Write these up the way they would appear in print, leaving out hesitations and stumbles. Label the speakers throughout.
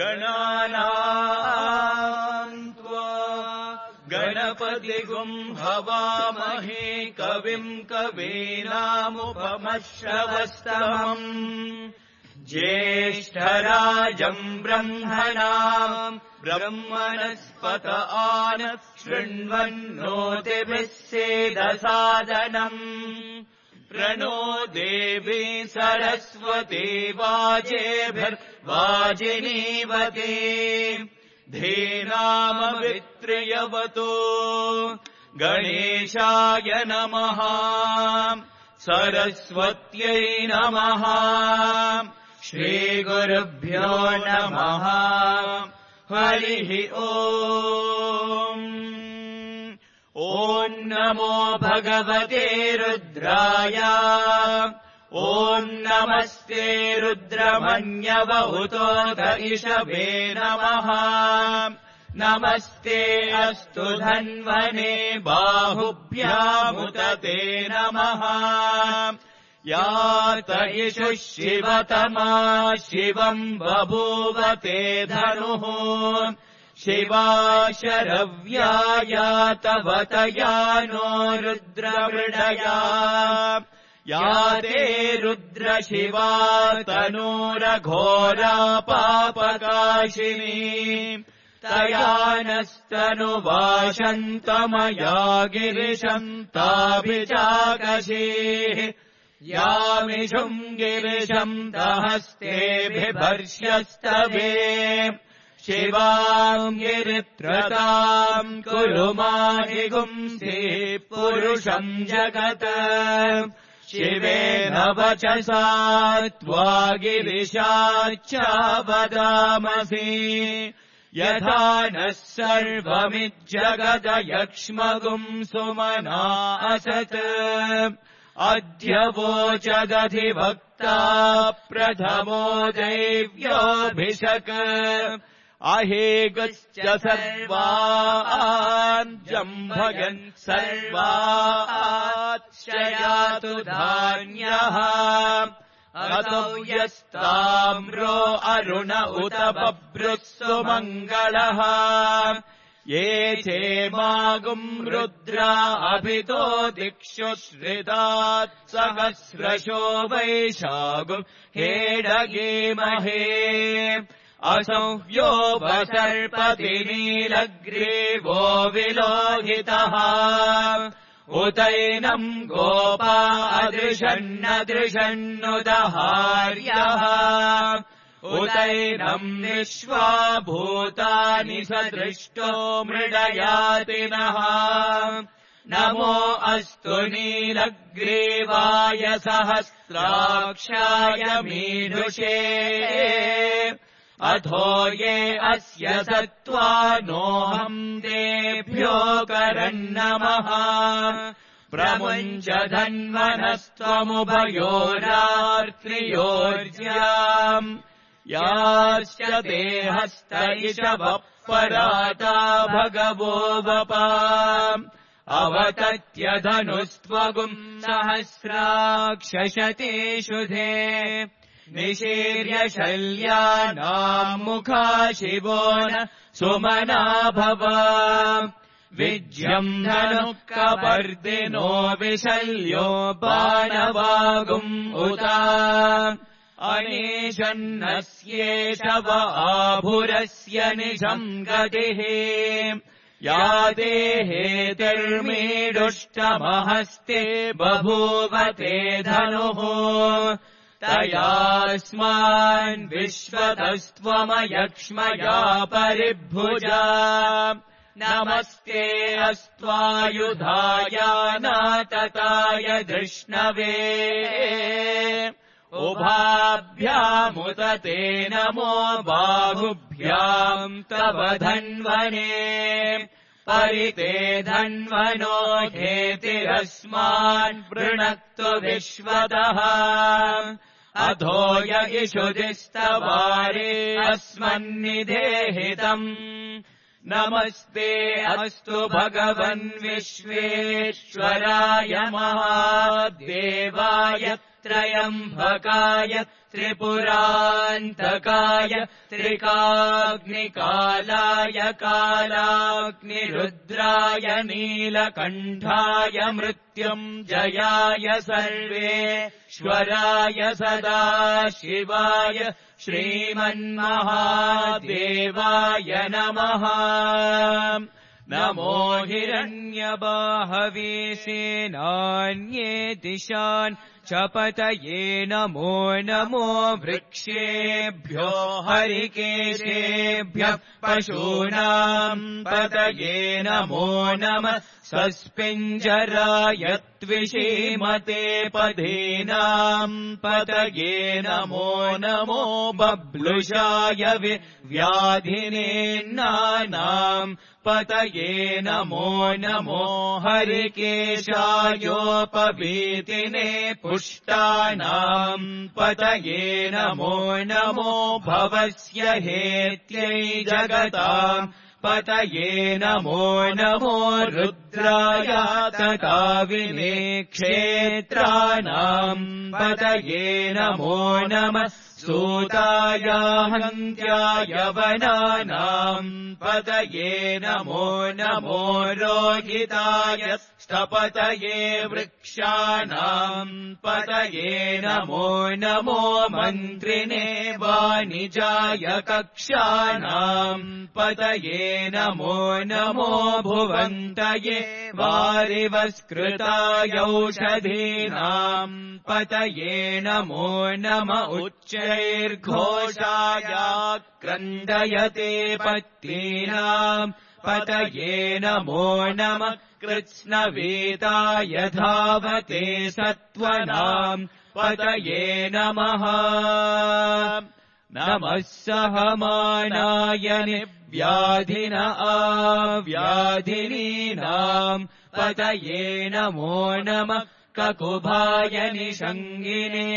Speaker 1: गणानाम् त्वा गणपतिगुं हवामहे कविम् कवीनामुपमश्रवस्तमम् ज्येष्ठराजम् ब्रह्मणाम् ब्रह्मणस्पत आनः शृण्वन्नोतिभिः सेदसादनम् प्रणो देवी सरस्वती वाजेभिर्वाजिनीवती धीनामवित्र्यवतो गणेशाय नमः सरस्वत्यै नमः श्रीगुरुभ्यो नमः हरिः ओम् ॐ नमो भगवते रुद्राय ॐ नमस्ते रुद्रमन्यवहुतोऽथ इषभे नमः नमस्ते अस्तु धन्वने बाहुभ्यामुत ते नमः यात इषुः शिवतमा शिवम् बभूव ते धनुः शिवा शरव्या तवतया नो रुद्रमृडया या ते रुद्रशिवा तनूरघोरा पापकाशिनी तया नस्तनुवाशन्तमया गिरिशन्ताभिचाकशीः यामिषुम् गिरिशम् दहस्ते बिभर्ष्यस्तवे शिवाम् गिरित्रताम् कुरु माहिगुंसि पुरुषम् जगत् शिवेन वचसा त्वा गिरिशाच्च वदामसि यथा नः सर्वमिज्जगदयक्ष्मगुम् सुमना असत् अद्य वोचदधिवक्ता प्रथमो दैव्योऽभिषक् अहेगश्च सर्वान् जम्भयन् सर्वाच्छयातु धान्यः अतो यस्ताम्रो अरुण उत बभ्रुः सुमङ्गलः ये चेमागुम् रुद्रा अभितो दिक्षु श्रितात् सहस्रशो वैशागुम् हेडगेमहे असंह्यो वसर्पति नीलग्रीवो विलोहितः उतैनम् गोपा अदृशन्नदृशन्नुदहार्यः उतैनम् निश्वा भूतानि सदृष्टो मृडयातिनः नमो अस्तु नीलग्रीवाय सहस्राक्षाय मीदृशे अथो ये अस्य सत्त्वानोऽहम् तेभ्यो करन्नमः प्रमुञ्च धन्वनस्त्वमुभयोरार्त्रियोर्ज्याम् याश्च ते हस्त इषवः पराता भगवो वपा अवतत्यधनुस्त्वगुम् सहस्राक्षशतेषु धे निशीर्य शल्यानाम् मुखा शिवो न सुमना भव विज्यम् धनुः कपर्दिनो विशल्यो बाणवागुम् उता अनेशन्नस्येष व आभुरस्य निशम् गतिः या देहेतिर्मीडुष्टमहस्ते बभूव ते धनुः तयास्मान् विश्वतस्त्वमयक्ष्मया परिभुजा नमस्ते अस्त्वायुधाय नातताय धृष्णवे उभाभ्यामुत ते नमो बाहुभ्याम् तव धन्वने परिते धन्वनो हेतिरस्मान् वृणक्तु विश्वतः अधो य इषुदिस्तवारे अस्मन्निधेहितम् नमस्ते अस्तु भगवन् विश्वेश्वराय महादेवाय त्रयम्बकाय त्रिपुरान्तकाय त्रिकाग्निकालाय कालाग्निरुद्राय नीलकण्ठाय मृत्युञ्जयाय सर्वेश्वराय सदाशिवाय श्रीमन्महादेवाय नमः। नमो हिरण्यबाहवे सेनान्ये दिशान् चपतये नमो नमो वृक्षेभ्यो हरिकेशेभ्यः पशूनाम् पतये नमो नमः। स्वस्पिञ्जराय त्विषीमते पदीनाम् पतये नमो नमो बब्लुषाय व्याधिनेन्नानाम् पतये नमो नमो हरिकेशायोपवीतिने पुष्टानाम् पतये नमो नमो भवस्य हेत्यै जगताम् पतये नमो नमो रुद्राय तथा विनेक्षेत्राणाम् पतये नमो नमः। सूताय हन्त्याय वनानाम् पतये नमो नमो रोहिताय स्तपतये वृक्षाणाम् पतये नमो नमो मन्त्रिणे वाणिजाय कक्षाणाम् पतये नमो नमो भुवन्तये वारिवस्कृताय औषधीनाम् पतये नमो नम उच्चैर्घोषाय क्रन्दयते पत्नीनाम् पतये नमो नमः। कृत्स्नवेताय धावते सत्त्वनाम् पतये नमः। नमः सहमानाय निव्याधिन आव्याधिनीनाम् पतये नमो नमः। ककुभाय निषङ्गिने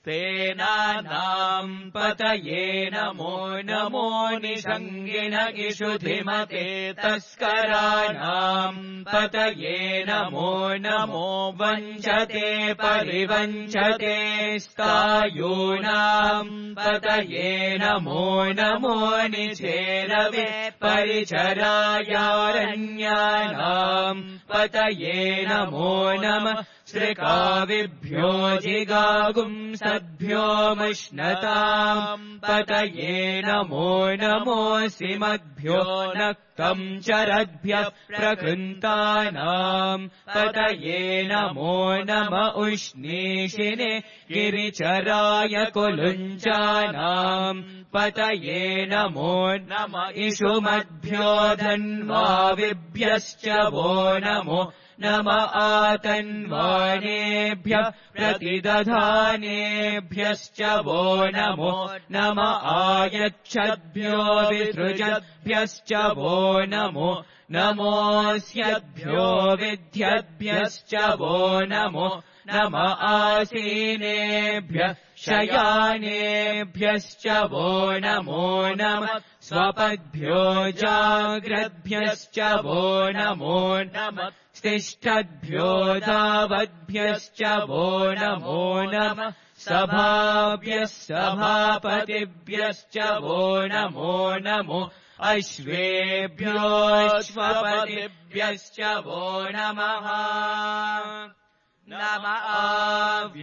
Speaker 1: सेनानाम् पतये नमो नमो निषङ्गिन इषुधिमते तस्कराणाम् पतये नमो नमो वञ्चते परिवञ्चते स्तायूनाम् पतये नमो नमो निचेरवे परिचरायारण्यानाम् पतये नमो नमः। श्रिकाविभ्यो जिगागुंसद्भ्यो मुष्णताम् पतये नमो नमो सिमद्भ्यो नक्तम् चरद्भ्यः प्रकृन्तानाम् पतये नमो नम उष्णीषिने गिरिचराय कुलुञ्चानाम् पतये नमो नम इषुमद्भ्यो धन्वाविभ्यश्च वो नमो नम आतन्वानेभ्यः प्रतिदधानेभ्यश्च वो नमो नम आयच्छद्भ्यो विसृजद्भ्यश्च वो नमो नमोऽस्यद्भ्यो विद्यद्भ्यश्च वो नमो नम आसीनेभ्यः शयानेभ्यश्च वो नमो नमः। स्वपद्भ्यो जाग्रद्भ्यश्च वो नमो नमः। तिष्ठद्भ्यो दावद्भ्यश्च वो नमो नमः। सभाभ्यः सभापतिभ्यश्च वो नमो नमो अश्वेभ्योऽश्वपतिभ्यश्च वो नमः। नम आव्याधिनीभ्यो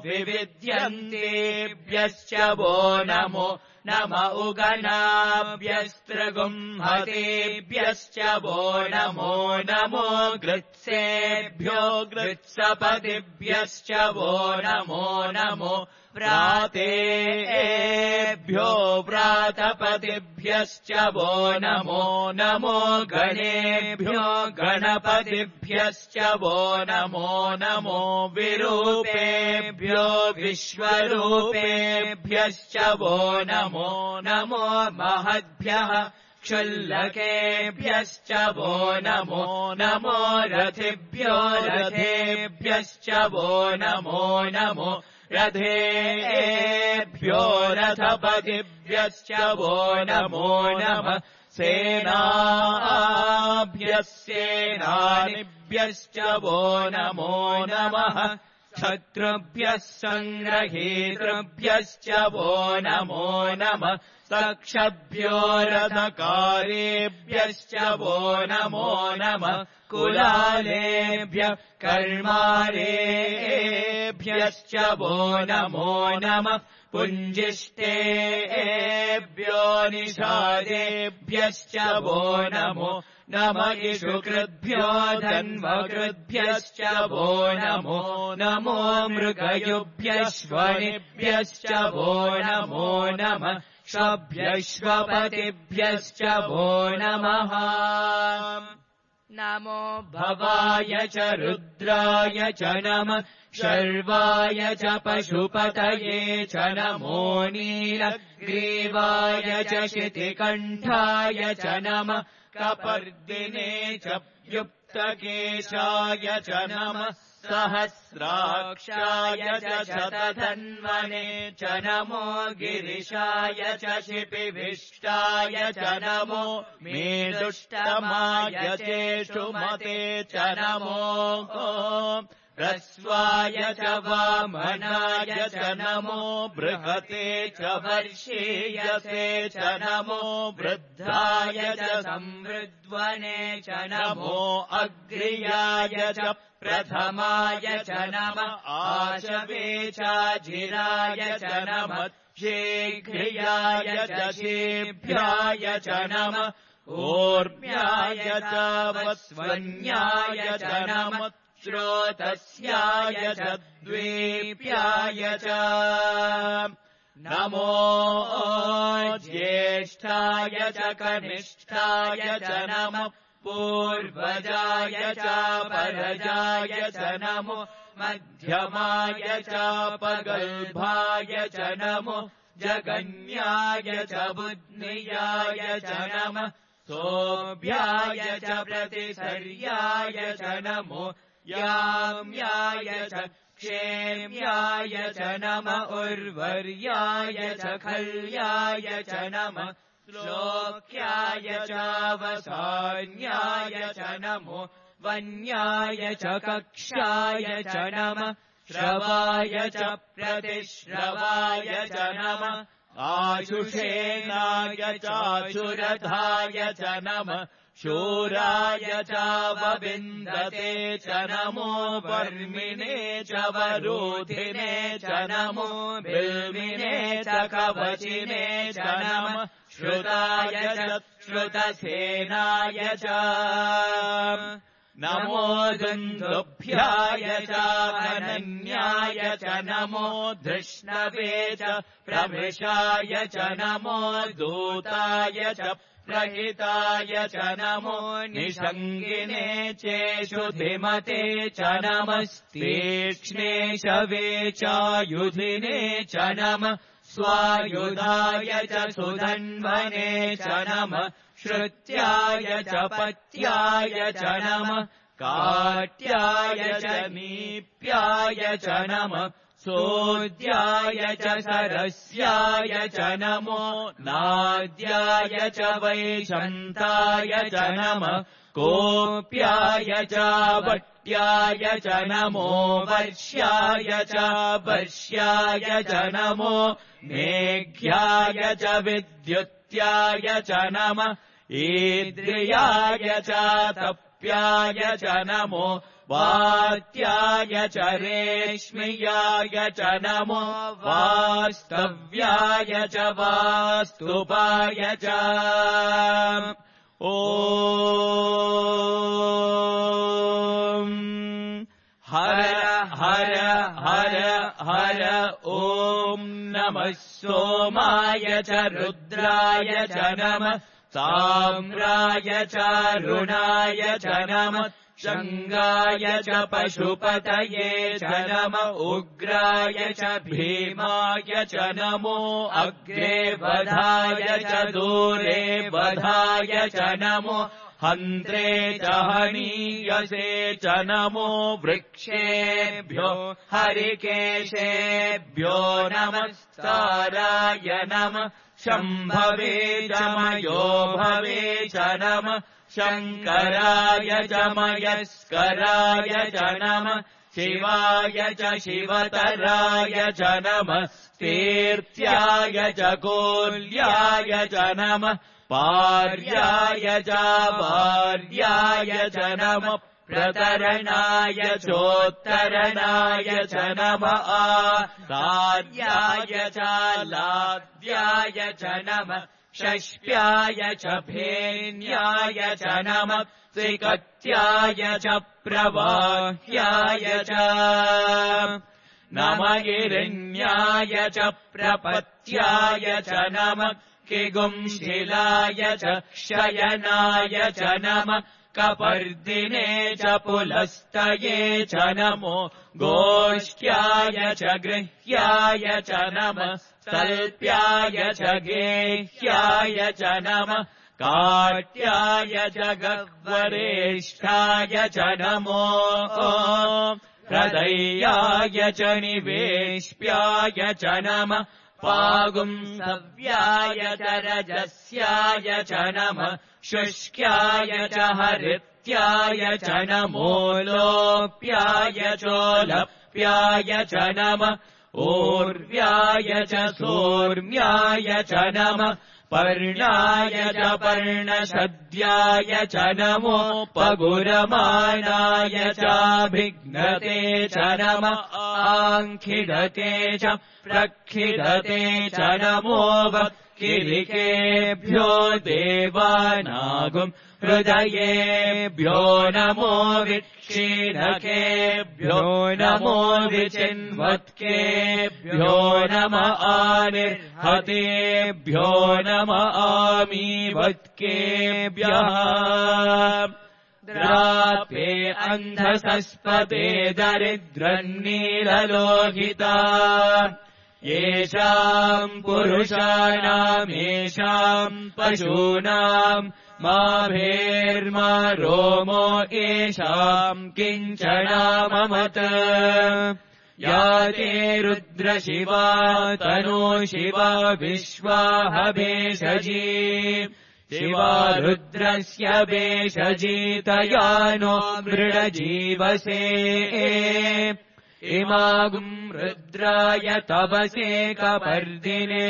Speaker 1: विविध्यन्तेभ्यश्च वो नमो नम उगनाभ्यस्त्रगुंहतेभ्यश्च वो नमो नमो गृत्सेभ्यो गृत्सपतिभ्यश्च वो नमो नमो व्रातेभ्यो व्रातपतिभ्यश्च वो नमो नमो गणेभ्यो गणपतिभ्यश्च वो नमो नमो विरूपेभ्यो विश्वरूपेभ्यश्च वो नमो नमो महद्भ्यः क्षुल्लकेभ्यश्च वो नमो नमो रथेभ्यो रथेभ्यश्च वो नमो नमो रथेभ्यो रथपतिभ्यश्च वो नमो नमः। सेनाभ्यः सेनानिभ्यश्च वो नमो नमः शत्रुभ्यः सङ्ग्रहेतृभ्यश्च वो नमो नमः सक्षभ्यो रथकारेभ्यश्च वो नमो नमः कुलालेभ्यः कर्मारेभ्यश्च वो नमो नमः पुञ्जिष्टेभ्यो निषादेभ्यश्च वो नमो नमः इषुकृद्भ्यो धन्वकृद्भ्यश्च वो नमो नमो मृगयुभ्यश्वनिभ्यश्च वो नमो नमः शभ्यश्वपतिभ्यश्च वो नमः
Speaker 2: नमो
Speaker 1: भवाय च रुद्राय च नमः शर्वाय च पशुपतये च नमो नीलग्रीवाय च शितिकण्ठाय च नमः कपर्दिने च युक्तकेशाय च नमः सहस्राक्षाय च शतधन्वने च नमो गिरिशाय च शिपिभिष्टाय च नमो मेदुष्टमाय चेष्टुमते च नमो ह्रस्वाय च वामनाय च नमो बृहते च वर्षीयसे च नमो वृद्धाय च संवृद्वने च नमो अग्र्याय च प्रथमाय च नमः आशवे चाजिराय च नमः शीघ्र्याय च शीभ्याय च नमः ऊर्म्याय च वस्वन्याय च नमः श्रोतस्याय च द्वीप्याय च नमो ज्येष्ठाय च कनिष्ठाय च नमः पूर्वजाय च परजाय च नमो मध्यमाय च पगल्भाय च नमो जगन्याय च बुद्नियाय च नमः सोऽभ्याय च प्रतिसर्याय च नमो याम्याय च क्षेम्याय च नमः उर्वर्याय च खल्याय च नमः श्लोक्याय च वसान्याय च नमो वन्याय च कक्षाय च नमः श्रवाय च प्रतिश्रवाय च नमः आशुषेनाय चाशुरथाय च नमः शूराय च वविन्दते च नमो वर्मिणे च वरोधिने च नमो बिल्मिने च कवचिने च नमः श्रुताय च श्रुतसेनाय च नमो दुन्दुभ्याय च अनन्याय च नमो धृष्णवे च प्रमृषाय च नमो दूताय च प्रहिताय च नमो निषङ्गिने चेषुधिमते च नमस्तीक्ष्णे शवे चायुधिने च नमः स्वायुधाय च सुधन्वने च नमः श्रुत्याय च पत्याय च नमः काट्याय च नीप्याय च नमः सोद्याय च सरस्याय च नमो नाद्याय च वैशन्ताय च नमः कोप्याय च वट्याय च नमो वर्ष्याय च वर्ष्याय च नमो मेघ्याय च विद्युत्याय च नमः ईद्रियाय च तप्याय च नमो वात्याय च रेश्म्याय च नमो वास्तव्याय च वास्तुपाय च ॐ हर हर हर हर ॐ नमः सोमाय च रुद्राय च नमः ताम्राय च रुणाय च नमः शङ्गाय च पशुपतये च नमः उग्राय च भीमाय च नमो अग्रे वधाय च दूरे वधाय च नमो हन्त्रे च हनीयसे च नमो वृक्षेभ्यो हरिकेशेभ्यो नमस्ताराय नमः शम्भवे च मयो भवे च नमः शङ्कराय च मयस्कराय च नमः शिवाय च शिवतराय च नमः तीर्थ्याय च कोल्याय च नमः पार्याय च वार्याय च नमः प्रतरणाय चोत्तरणाय च नमः आर्याय च लाद्याय च नमः षष्प्याय च भेन्याय च नमः त्रिकत्याय च प्रवाह्याय च नमः हिरण्याय च प्रपत्याय च नमः किगुंशिलाय च शयनाय च नमः कपर्दिने च पुलस्तये च नमो गोष्ठ्याय च गृह्याय च नमः तल्प्याय च गेह्याय च नमः काट्याय च गह्वरेष्ठाय च नमो हृदयाय च निवेश्प्याय च नमः पागुंसव्याय च रजस्याय च नमः शुष्क्याय च हरित्याय च नमो लोप्याय चोलप्याय च नमः ऊर्व्याय च सोर्म्याय च नमः पर्णाय च पर्णशद्याय च नमो पगुरमाणाय चाभिघ्नते च नमः आङ्खिडते च प्रक्षिडते च नमो किरिकेभ्यो देवानागुम् हृदयेभ्यो नमो विक्षीणकेभ्यो नमो विचिन्वत्केभ्यो नमः आनिर्हतेभ्यो नमः आमीवत्केभ्यः द्रापे अन्धसस्पते दरिद्रन्नीललोहिता येषाम् पुरुषाणाम् येषाम् पशूनाम् मा भेर्मा रोमो येषाम् किञ्चनाममत या ते रुद्रशिवा तनो शिवा विश्वाहभेषजी शिवा रुद्रस्य भेषजीतया नो मृडजीवसे इमागुम् रुद्राय तपसे कपर्दिने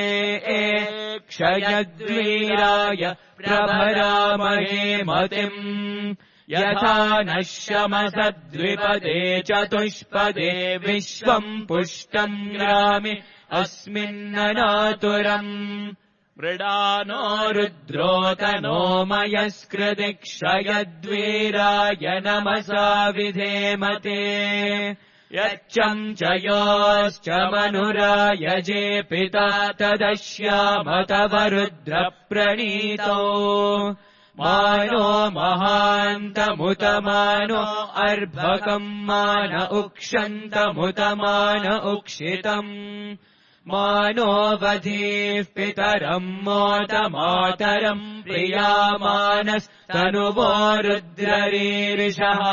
Speaker 1: क्षयद्वीराय प्रभरामहे मतिम् यथा नः शमसद्विपदे चतुष्पदे विश्वम् पुष्टम् ग्रामि अस्मिन्ननातुरम् मृडानो रुद्रोतनो मयस्कृति क्षयद्वीराय नमसा विधेमते यच्चम् च योश्च मनुरायजे पिता तदश्यामतवरुद्रप्रणीतो मानो महान्तमुतमानो अर्भकम् मान उक्षन्तमुतमान उक्षितम् मानो वधीः पितरम् मोतमातरम् प्रियामानस्तनुवो रुद्ररीरिषः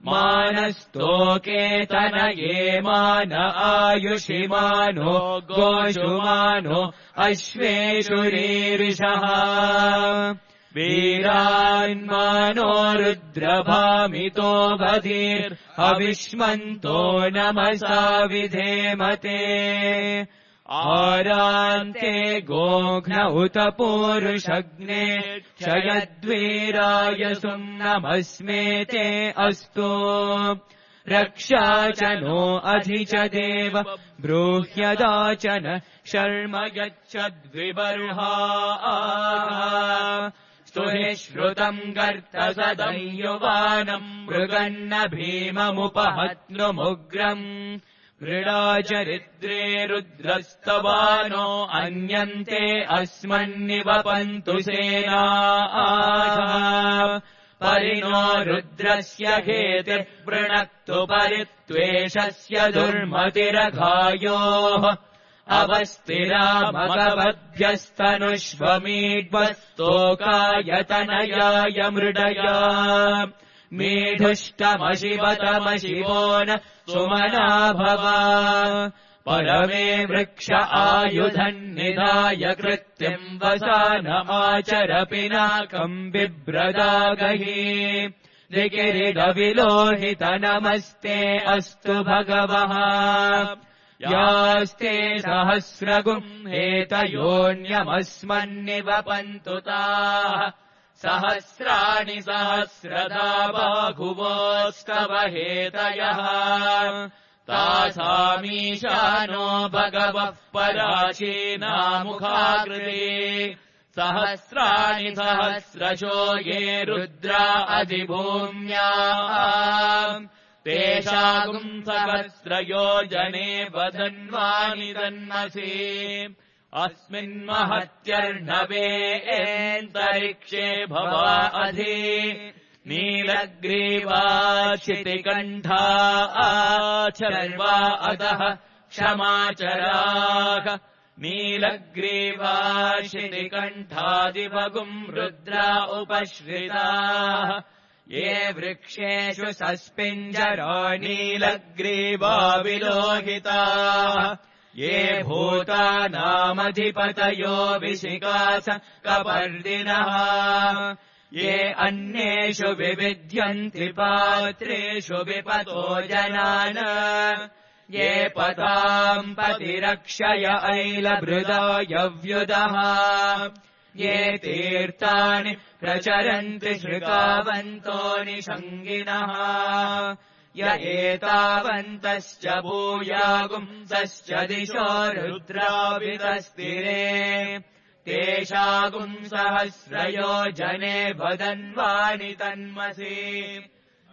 Speaker 1: मानस्तोके तनये मान आयुषिमानो गोषुमानो अश्वेषु रीरिषः वीरान्मानो रुद्रभामितो बधिर्हविष्मन्तो नमसा विधेमते आरान्ते गोघ्न उत पूरुषग्ने क्षयद्वीराय सुम्नमस्मेते अस्तु रक्षा च नो अधि च देव ब्रूह्यदाचन शर्म यच्छद्विबर्हा स्तुहि श्रुतम् गर्तसदंयुवानम् मृगन्न भीममुपहत्नुमुग्रम् मृडाचरिद्रे रुद्रस्तवानो अन्यन्ते अस्मन्निवपन्तु सेनाः परिणो रुद्रस्य हेतिर्वृणक्तु परित्वेषस्य दुर्मतिरघायोः अवस्थिरामगवद्भ्यस्तनुष्वमीड्वस्तोकायतनयाय मृडया मीढुष्टमशिवतमशिवो न सुमना भव परमे वृक्ष आयुधन्निधाय कृत्यम् वसानमाचर पिनाकम् बिभ्रदागहि दिकिरीडविलोहित नमस्ते अस्तु भगवः यास्ते सहस्रगुम् हेतयोऽन्यमस्मन्निवपन्तु ताः सहस्राणि सहस्रधा बाहुवोस्तव हेतयः तासामीशानो भगवः पराचीनामुखाकृते सहस्राणि सहस्रशो ये रुद्रा अधिभूम्या तेषागुम् सहस्रयोजने वदन्वानि तन्मसि अस्मिन्महत्यर्णवेऽन्तरिक्षे भवा अधि नीलग्रीवाचितिकण्ठा आचर्वा अतः क्षमाचराः नीलग्रीवाशितिकण्ठादिवगुम् रुद्रा उपश्रिताः ये वृक्षेषु सस्पिञ्जरो नीलग्रीवा विलोहिताः ये भूतानामधिपतयो विशिकास कपर्दिनः ये अन्येषु विविध्यन्ति पात्रेषु विपतो जनान् ये पताम् पतिरक्षय ऐलभृदायव्युदः ये तीर्थानि प्रचरन्ति श्रुतावन्तो निषङ्गिनः य एतावन्तश्च भूयागुंसश्च दिशो रुद्रावितस्तिरे तेषागुम् सहस्रयोजने वदन्वानि तन्मसि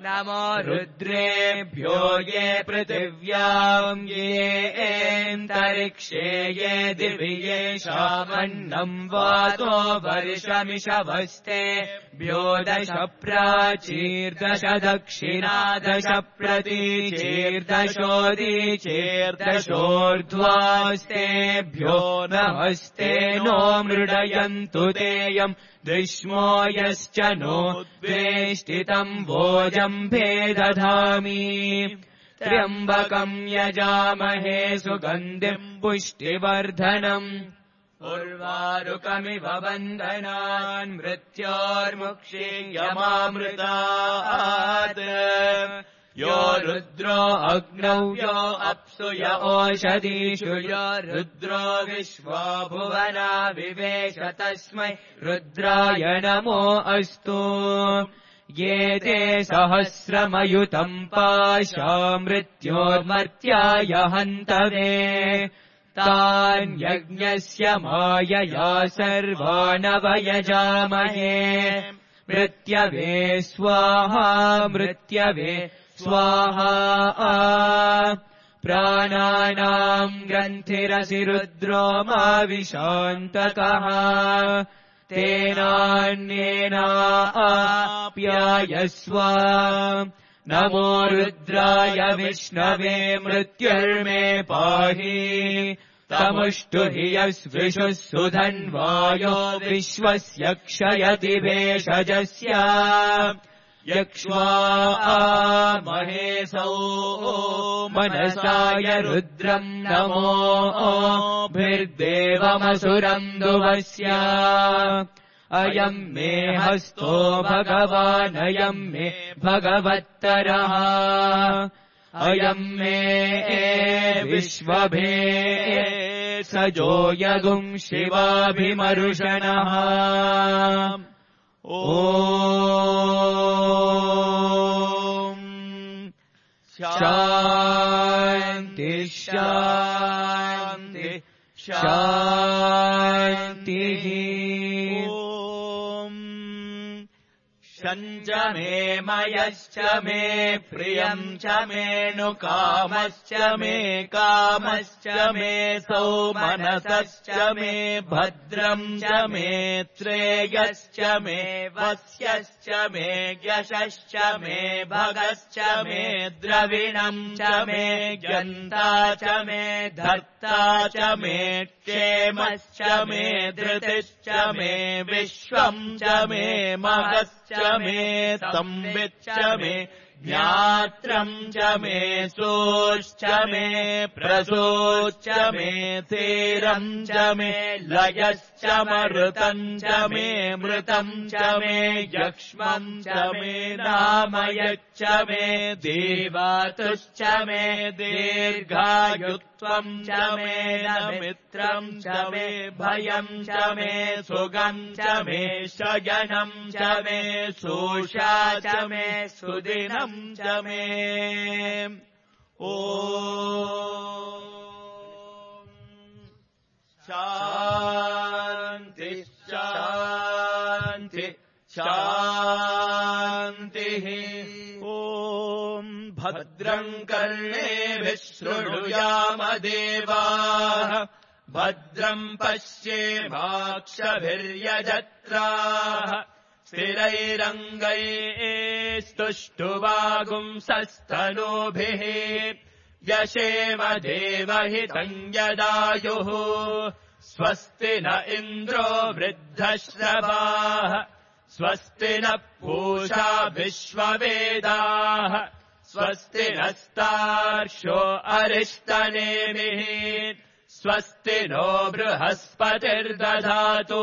Speaker 1: नमो रुद्रेभ्यो ये पृथिव्याम् येऽन्तरिक्षे ये दिवि येषामन्नम् वातो वर्षमिषवस्तेभ्यो 10 प्राचीर्दश दक्षिणा 10 प्रतीचीर्दशोदीचीर्दशोर्ध्वास्तेभ्यो नमस्ते नो मृडयन्तु तेयम् दृश्मो यश्च नो द्वेष्टितम् भोजम्भे दधामि त्र्यम्बकम् यजामहे सुगन्धिम् पुष्टिवर्धनम् उर्वारुकमिव बन्धनान् मृत्योर्मुक्षीयमामृतात् यो रुद्रो अग्नौ यो अप्सु य ओषधीषु यो रुद्रो विश्वा भुवना विवेश तस्मै रुद्राय नमो अस्तु ये ते सहस्रमयुतम् पाशा मृत्योर्मर्त्याय हन्तवे तान् यज्ञस्य मायया सर्वानवयजामहे मृत्यवे स्वाहा मृत्यवे स्वाहा प्राणानाम् ग्रन्थिरसि रुद्रो मा विशान्तकः तेनान्येनाप्यायस्व नमो रुद्राय विष्णवे मृत्युर्मे पाहि तमुष्टु हि यस्विषुः सुधन्वायो विश्वस्य क्षयति भेषजस्य यक्ष्वा महेशौ मनसाय रुद्रम् नमो भिर्देवमसुरम् दुवस्य अयम् मे हस्तो भगवान् अयम् मे भगवत्तरः अयम् मे विश्वभे सजो यगुम् शिवाभिमरुषणः ॐ शान्ति शान्ति शान्तिः शञ्च मे मयश्च मे प्रियम् च मेऽनुकामश्च मे कामश्च मे सौमनसश्च मे भद्रम् च मे श्रेयश्च मे वस्यश्च मे यशश्च मे भगश्च मे द्रविणम् च मे ज्ञन्ता च मे धर्ता च मे क्षेमश्च मे धृतिश्च मे विश्वम् च मे महश्च मे संविच्च मे ज्ञात्रम् च मे सोश्च मे प्रसोश्च मे थेरम् च मे लयश्च मृतम् च मे मृतम् च मे यक्ष्मम् च मे नामयच्च मे देवातुश्च मे दीर्घायुत्वम् च मे मित्रम् च मे भयम् च मे सुगम् च मे शयनम् च मे सोषा च मे सुदिनम् च मे ॐ शान्ति शान्ति शान्तिः ॐ भद्रम् कर्णेभिः शृणुयाम देवाः भद्रम् पश्येमाक्षभिर्यजत्राः स्थिरैरङ्गैस्तुष्टुवागुंसस्तनूभिः व्यशेम देवहितम् यदायुः स्वस्ति न इन्द्रो वृद्धश्रवाः स्वस्ति न पूषा विश्ववेदाः स्वस्ति नस्तार्क्ष्यो अरिष्टनेमिः स्वस्ति नो बृहस्पतिर्दधातु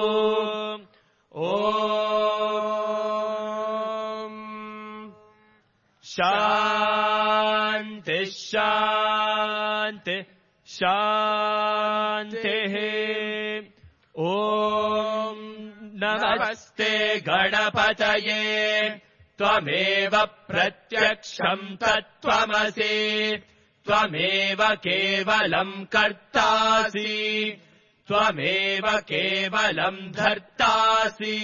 Speaker 1: ॐ शान्ति शान्ति शान्तिः ॐ नमस्ते गणपतये त्वमेव प्रत्यक्षम् तत्त्वमसि त्वमेव केवलम् कर्तासि त्वमेव केवलम् धर्तासि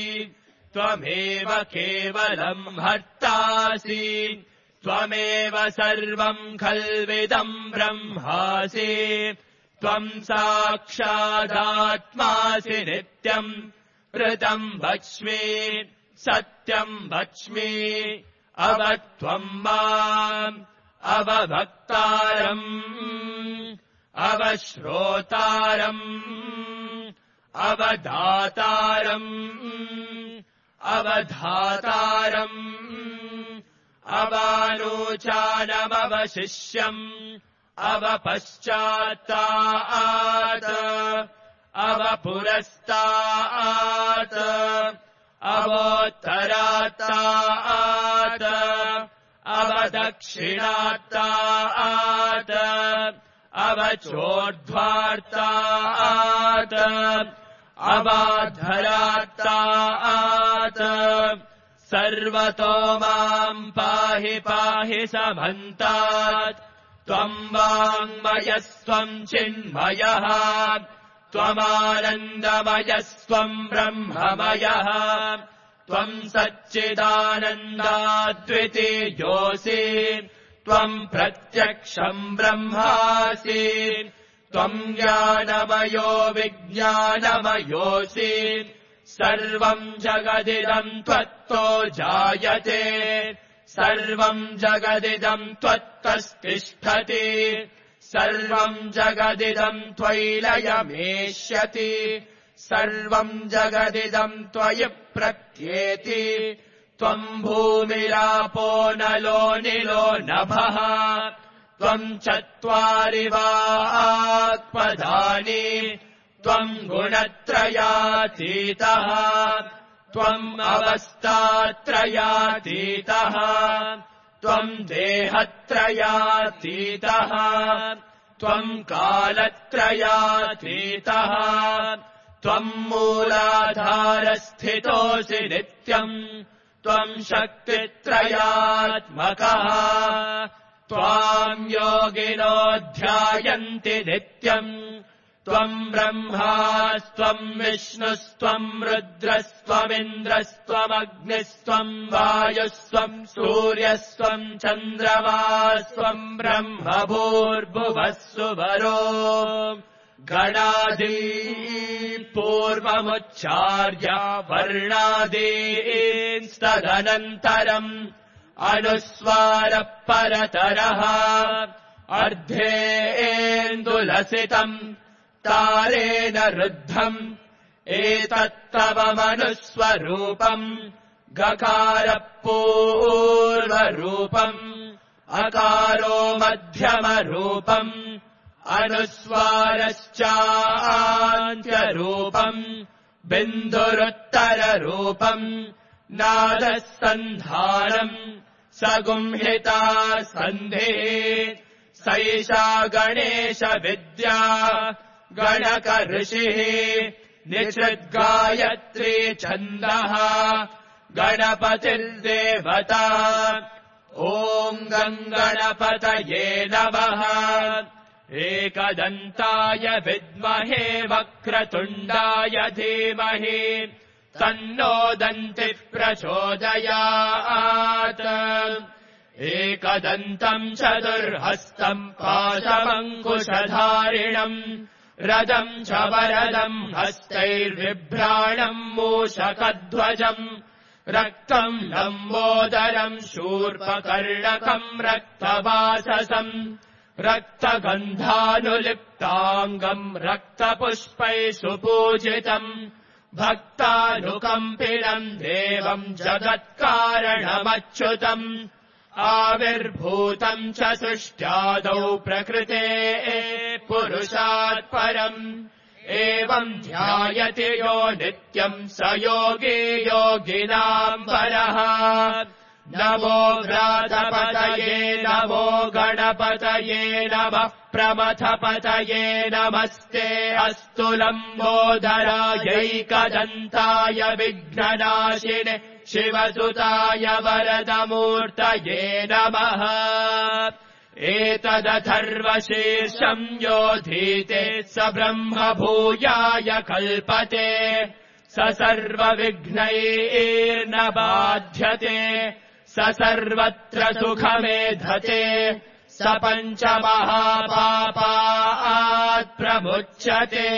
Speaker 1: त्वमेव केवलम् हर्तासि त्वमेव सर्वम् खल्विदम् ब्रह्मासि त्वम् साक्षादात्मासि नित्यम् ऋतम् वच्मि सत्यम् वच्मि अवत्वम् माम् अवभक्तारम् अवश्रोतारम् अवदातारम् अवधातारम् अवानोचानमवशिष्यम् अवपश्चात्तात् अवपुरस्तात् अवोत्तरात्तात् अवदक्षिणात्तात् अवचोर्ध्वार्तात् अवाधरात्तात् सर्वतो माम् पाहि पाहि समन्तात् त्वम् वाङ्मयस्त्वम् चिन्मयः त्वमानन्दमयस्त्वम् ब्रह्ममयः त्वम् सच्चिदानन्दाद्वितीयोऽसि त्वम् प्रत्यक्षम् ब्रह्मासि त्वम् ज्ञानमयो विज्ञानमयोऽसि सर्वम् जगदिदम् त्वत्तो जायते सर्वम् जगदिदम् त्वत्तस्तिष्ठति सर्वम् जगदिदम् त्वयिलयमेष्यति सर्वम् जगदिदम् त्वयि प्रत्येति त्वम् भूमिरापो नलो निलो नभः त्वम् चत्वारि वाक्पदानि त्वम् गुणत्रयातीतः त्वम् अवस्थात्रयातीतः त्वम् देहत्रयातीतः त्वम् कालत्रयातीतः त्वम् मूलाधारस्थितोऽसि नित्यम् त्वम् शक्तित्रयात्मकः त्वाम् योगिनो ध्यायन्ति नित्यम् त्वम् ब्रह्मास्त्वम् विष्णुस्त्वम् रुद्रस्त्वमिन्द्रस्त्वमग्निस्त्वम् वायुस्त्वम् सूर्यस्त्वम् चन्द्रमास्त्वम् ब्रह्म भूर्भुवः सुवरो गणादि पूर्वमुच्चार्य वर्णादींस्तदनन्तरम् अनुस्वारः परतरः अर्धेन्दुलसितम् तारेण रुद्धम् एतत्तव मनुस्वरूपम् गकारः पूर्वरूपम् रूपम् अकारो मध्यमरूपम् अनुस्वारश्चान्त्यरूपम् बिन्दुरुत्तररूपम् नादः सन्धानम् सगुंहिता सन्धिः सैषा गणेशविद्या गणकऋषिः निषद्गायत्री छन्दः गणपतिर्देवता ॐ गणपतये नमः एकदन्ताय विद्महे वक्रतुण्डाय धीमहि तन्नो दन्तिः प्रचोदयात् एकदन्तम् चतुर्हस्तम् पाशमङ्कुशधारिणम् रदम् च वरदम् हस्तैर्बिभ्राणम् मूषकध्वजम् रक्तम् लम्बोदरम् शूर्पकर्णकम् रक्तवाससम् रक्तगन्धानुलिप्ताङ्गम् रक्तपुष्पैः सुपूजितम् भक्तानुकम्पिनम् देवम् जगत्कारणमच्युतम् आविर्भूतम् च सृष्ट्यादौ प्रकृते पुरुषात् परम् एवम् ध्यायति यो नित्यम् स योगी योगिनाम् परः नमो व्रातपतये नमो गणपतये नमः प्रमथपतये नमस्ते अस्तु लम्बोदरायैकदन्ताय विघ्ननाशिने शिवसुताय वरदमूर्तये नमः एतदथर्वशीर्षम् योधीते स ब्रह्म भूयाय कल्पते स सर्वविघ्नैर्न बाध्यते स सर्वत्र सुखमेधते स पञ्चमहापापात् प्रमुच्यते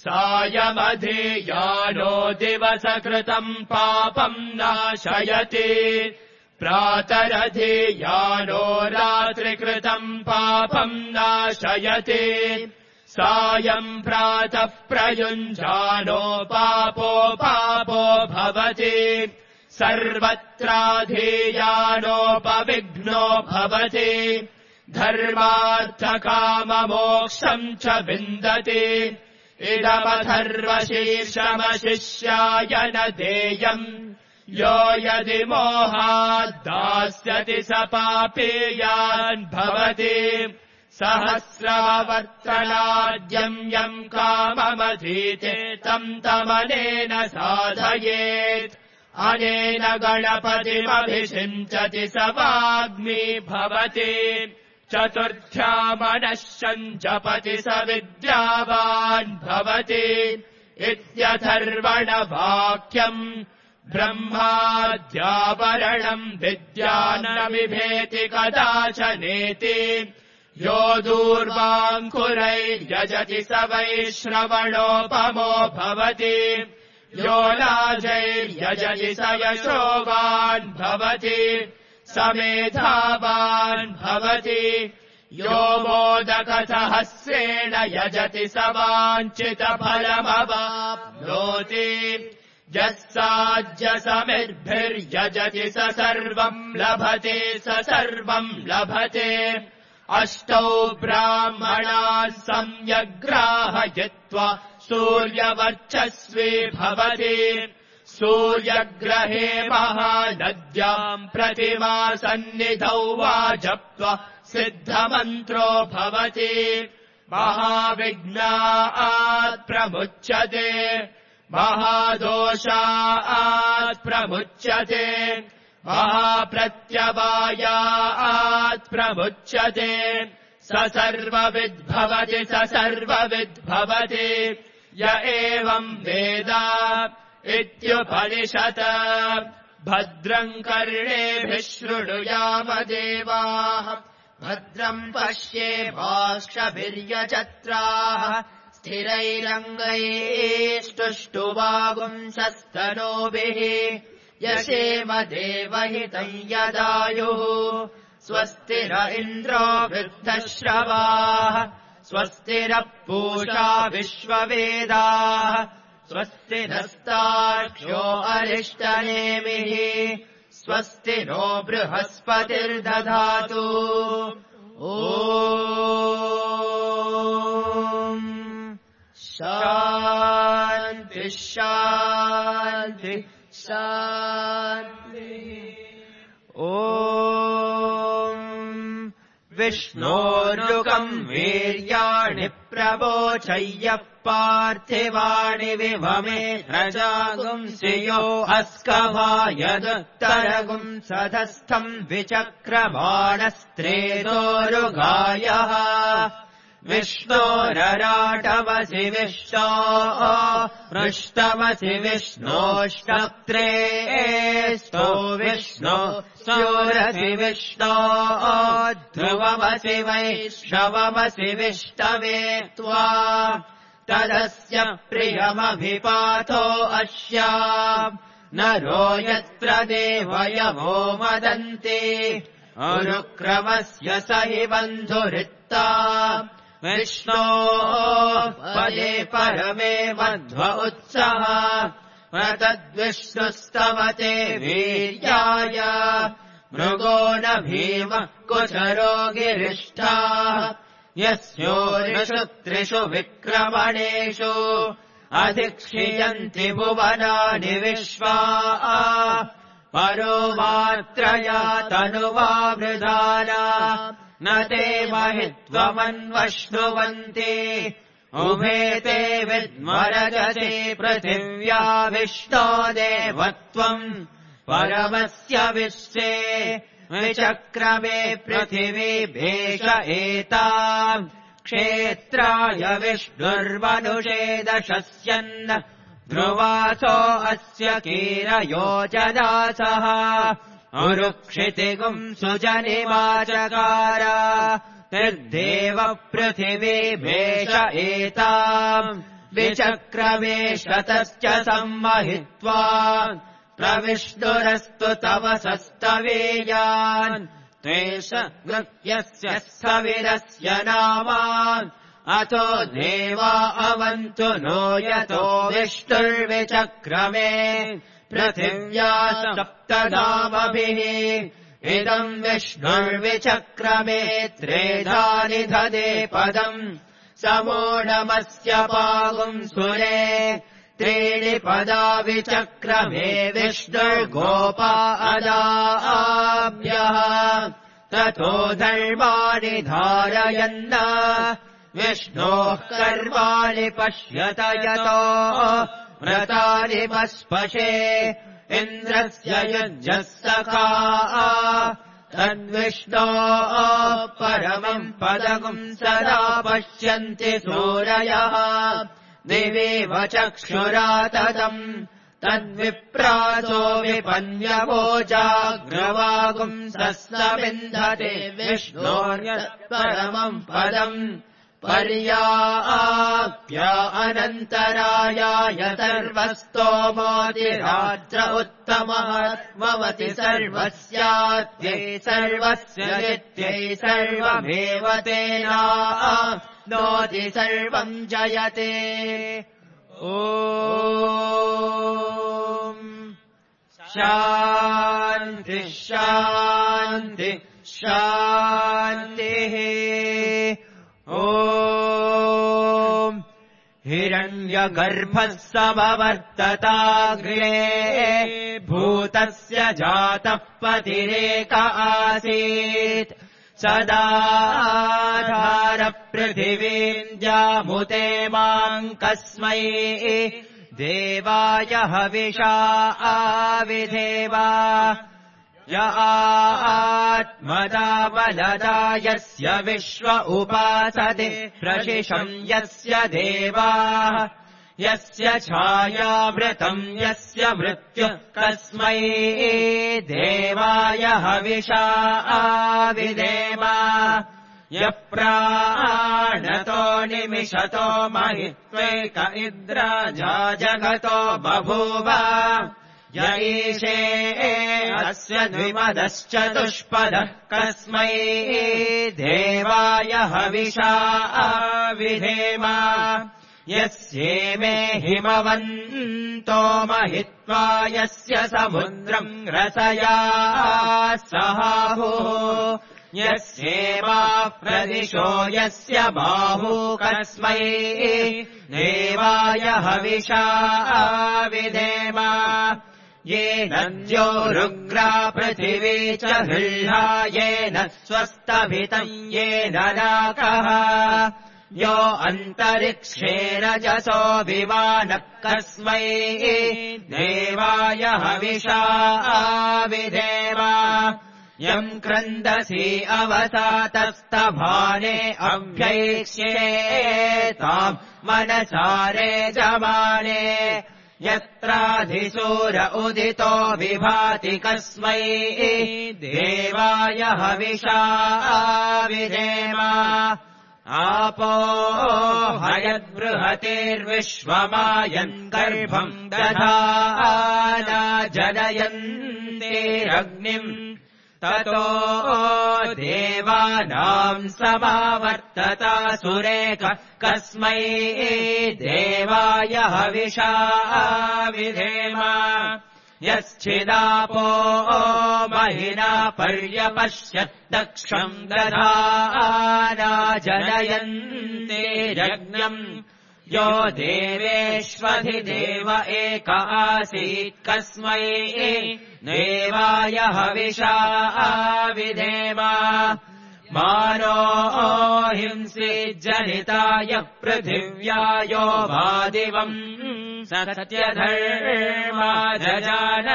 Speaker 1: सायमधियानो दिवसकृतम् पापम् नाशयति प्रातरधियानो रात्रिकृतम् पापम् नाशयति सायम् प्रातः प्रयुञ्जानो पापो भवति सर्वत्राधीयानोपविघ्नो भवति धर्मार्थकाममोक्षम् च विन्दति इदमथर्वशीर्षमशिष्याय न देयम् यो यदि मोहाद्दास्यति स पापेयान् भवति सहस्रवर्तनाद्यम् यम् काममधीते तम् तमनेन साधयेत् अनेन गणपतिमभिषिञ्चति स वाग्मी भवति चतुर्थ्यामनश्यम् जपति स विद्यावान् भवति इत्यथर्वणवाक्यम् ब्रह्माद्यावरणम् विद्यान्न बिभेति कदाचनेति यो दूर्वाङ्कुरैर्यजति स वै श्रवणोपमो भवति यो लाजैर्यजति स यशोवान् भवति स मेधावान् भवति यो मोदकसहस्रेण यजति स वाञ्छितफलमवाप्नोति यः साज्यसमिद्भिर्यजति स सर्वम् लभते स सर्वम् लभते अष्टौ ब्राह्मणान् सम्यग्राहयित्वा सूर्यवर्चस्वी भवति सूर्यग्रहे महानद्याम् प्रतिमासन्निधौ वा जप्त्वा सिद्धमन्त्रो भवति महाविघ्नात् प्रमुच्यते महादोषात् प्रमुच्यते महाप्रत्यवायात् प्रमुच्यते स सर्वविद्भवति स सर्वविद्भवति य एवम् वेद इत्युपनिषत् भद्रम् कर्णेभिः शृणुयाम देवाः भद्रम् पश्येमाक्षभिर्यजत्राः स्थिरैरङ्गैस्तुष्टुवागुंसस्तनोभिः यशेम देवहितम् यदायुः स्वस्तिर इन्द्रो वृद्धश्रवाः स्वस्तिरः पूषा विश्ववेदाः स्वस्ति नस्तार्क्ष्यो अरिष्टनेमिः स्वस्ति नो बृहस्पतिर्दधातु ॐ शान्ति शान्ति शान्तिः ॐ विष्णोर्युगम् वीर्याणि प्रवोचय्यः पार्थिवाणि विभमे रजागुंसियो अस्कभायदुत्तरगुं सधस्थम् विचक्रबाणस्त्रेदोरुगायः विष्णोरराटवसि विष्णो पृष्टवसि विष्णोष्टत्रे स्तो विष्णो स्योरसि विष्णो ध्रुवमसि वैष्णवमसि विष्णवे त्वा तदस्य प्रियमभिपातो अस्या नरो यत्र देवयवो मदन्ति अनुक्रमस्य स हि बन्धुरित्ता विष्णो पदे परमे मध्व उत्सः तद्विष्णुस्तवते वीर्याय मृगो न भीम कुचरो गिरिष्ठा यस्योरिषु त्रिषु विक्रमणेषु अधिक्षियन्ति भुवनानि विश्वा परो मात्रया तनुवा वृधाना न ते महित्वमन्वश्नुवन्ति उभे ते विद्मरजसे पृथिव्या विष्णो देवत्वम् परमस्य विश्वे विचक्रमे पृथिवी भेष एताम् क्षेत्राय विष्णुर्मनुषे दशस्यन् ध्रुवासो अस्य कीरयोजनासः उरुक्षितिगुम् सुजनिमाचकार निर्देव पृथिवी भेष एताम् विचक्रमे शतश्च सम्महित्वा प्रविष्णुरस्तु तव सस्तवेयान् त्वेष नृत्यस्य स्थविरस्य नामान् अथो देवा अवन्तु नो यतो विष्णुर्विचक्रमे पृथिव्या सप्तनामभिः इदम् विष्णुर्विचक्रमे त्रेधानि ददे पदम् समूढमस्य पागुम् सुरे त्रीणि पदा विचक्रमे विष्णुर्गोपा अदाभ्यः ततो धर्माणि धारयन् विष्णोः कर्माणि पश्यत यतो व्रतानि पस्पशे इन्द्रस्य युज्यः सखा तद्विष्णो परमम् पदगुम् सदा पश्यन्ति सूरयः दिवेव चक्षुरा तदम् तद्विप्रासो विपन्यवोजाग्रवागुम् सस्तविन्धते विष्णोर्यत्परमम् पदम् पर्याप्य अनन्तरायाय सर्वस्तोमोतिरात्र उत्तमः भवति सर्वस्यात्यै सर्वस्य नित्यै सर्वमेव तेना नोति सर्वम् जयते ॐ शान्ति शान्ति शान्तिः ॐ हिरण्यगर्भः समवर्तताग्रे भूतस्य जातः पतिरेक आसीत् सदाधार पृथिवीम् जामुते माम् कस्मै देवाय हविषा आविधेवा य आत्मदा बलदा यस्य विश्व उपासते प्रशिशम् यस्य देवाः यस्य छायावृतम् यस्य मृत्युः कस्मै देवाय हविषा आविधेमा यः प्राणतो निमिषतो महित्वैक इन्द्राजा जगतो बभूव य ईशे अस्य द्विमदश्चतुष्पदः कस्मै देवाय हविषा आविधेम यस्येमे हिमवन्तो महित्वा यस्य समुद्रम् रसया सहाहुः यस्येमा प्रदिशो यस्य बाहू कस्मै देवाय हविषा विधेम येन द्योरुग्रा पृथिवी च हृह्णा येन स्वस्तभितम् येन नाकः यो अन्तरिक्षे रजसो विमानः कस्मै देवाय हविषा विधेम यम् क्रन्दसी अवसातस्तभाने अभ्यैक्ष्येताम् मनसारे जमाने यत्राधिसूर उदितो विभाति कस्मै देवाय हविषा विधेम आपो हयद्बृहतेर्विश्वमायन् गर्भम् दधाना जनयन्तेरग्निम् ततो देवानाम् समावर्तता सुरेख कस्मै देवाय हविषा विधेम यश्चिदापो महिना पर्यपश्यत् दक्षम् दधाना जनयन्तेरग्न्यम् यो देवेष्वधिदेव एक आसीत् कस्मै देवाय हविषा विधेम मानो हिंसी जनिताय पृथिव्यायो वादिवम् सत्यधर्मा जजान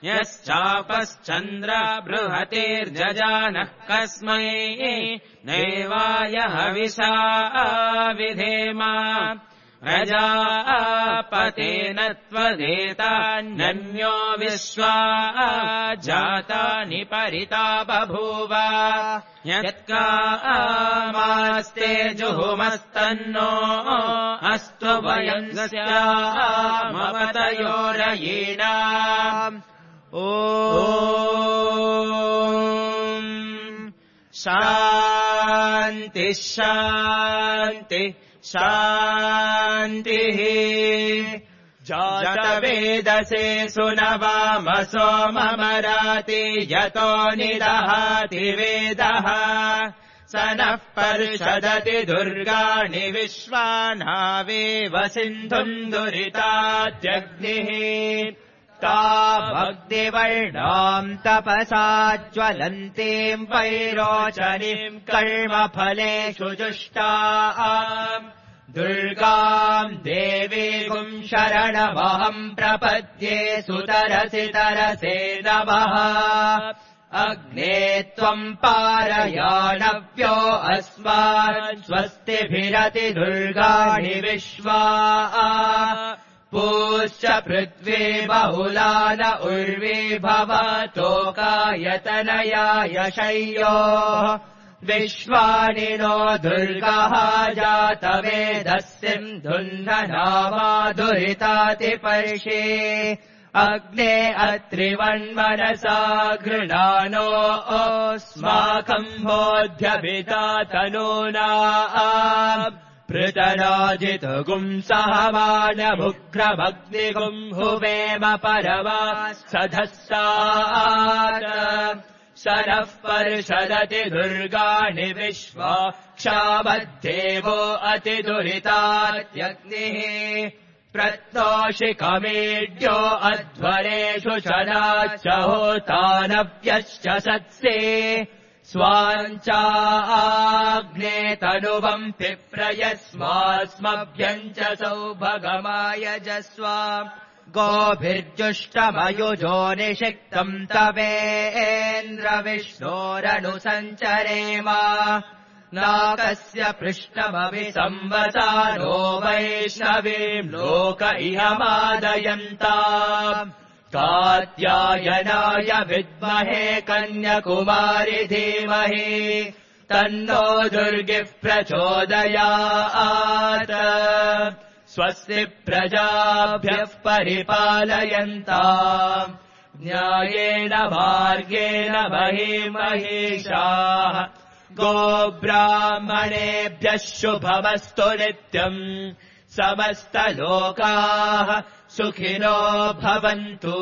Speaker 1: यश्चापश्चन्द्र बृहतेर्जजानः कस्मै देवाय हविषा विधेम प्रजापतेन त्वदेतान्यन्यो विश्वा जातानि परिता बभूव यत्कामास्ते जुहुमस्तन्नो अस्तु वयंस्यामवतयोरयीणाम् ॐ शान्ति शान्ति शान्तिः जातवेदसे सुनवामसो ममराति यतो निदहाति वेदः स नः पर्षदति दुर्गाणि विश्वानावेव सिन्धुम् दुरितात्यग्निः ताभक्तिवर्णाम् तपसा ज्वलन्तीम् वैरोचनीम् कर्मफलेषु जुष्टाम् दुर्गाम् देवीगुम् शरणमहम् प्रपद्ये सुतरसि तरसे नमः अग्ने त्वम् पारयाणव्यो अस्मान् स्वस्तिभिरति दुर्गाणि विश्वा पूश्च पृथ्वी बहुलान उर्वी भवतोकायतनयाय शय्यो विश्वानि नो दुर्गः जातवेदस्यम् धुन्धनामाधुरितातिपर्षे अग्ने अत्रिवन्मनसा गृणानो अस्माकम् बोध्यभिता तनूना पृतराजितगुम् सहमानमुग्रमग्निगुम् हुवेम परमा सधस्सात् शरः पर्षदति दुर्गाणि विश्वा क्षामद्देवो अतिदुरितात्यग्निः प्रत्नोषिकमेड्यो अध्वरेषु शनाच्च होतानव्यश्च सत्से स्वाञ्चाग्ने तनुवम् पिप्रयस्मास्मभ्यम् च सौभगमाय जस्वा गोभिर्जुष्टमयुजो निषिक्तम् तवेन्द्रविष्णोरनुसञ्चरेम नाकस्य पृष्ठमभि संवसानो वैष्णवीम् लोक इहमादयन्ताम् कात्यायनाय विद्महे कन्याकुमारि धीमहि तन्नो दुर्गिः प्रचोदयात् स्वस्ति प्रजाभ्यः परिपालयन्ताम् न्यायेन मार्गेण महिषाः गोब्राह्मणेभ्यः शुभमस्तु नित्यम् समस्तलोकाः सुखिनो भवन्तु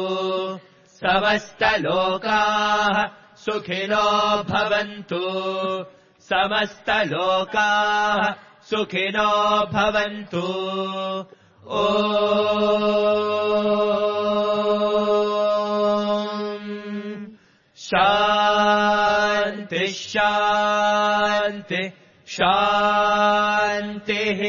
Speaker 1: समस्तलोकाः सुखिनो भवन्तु समस्तलोकाः सुखिनो भवन्तु ॐ शान्ति शान्ति शान्तिः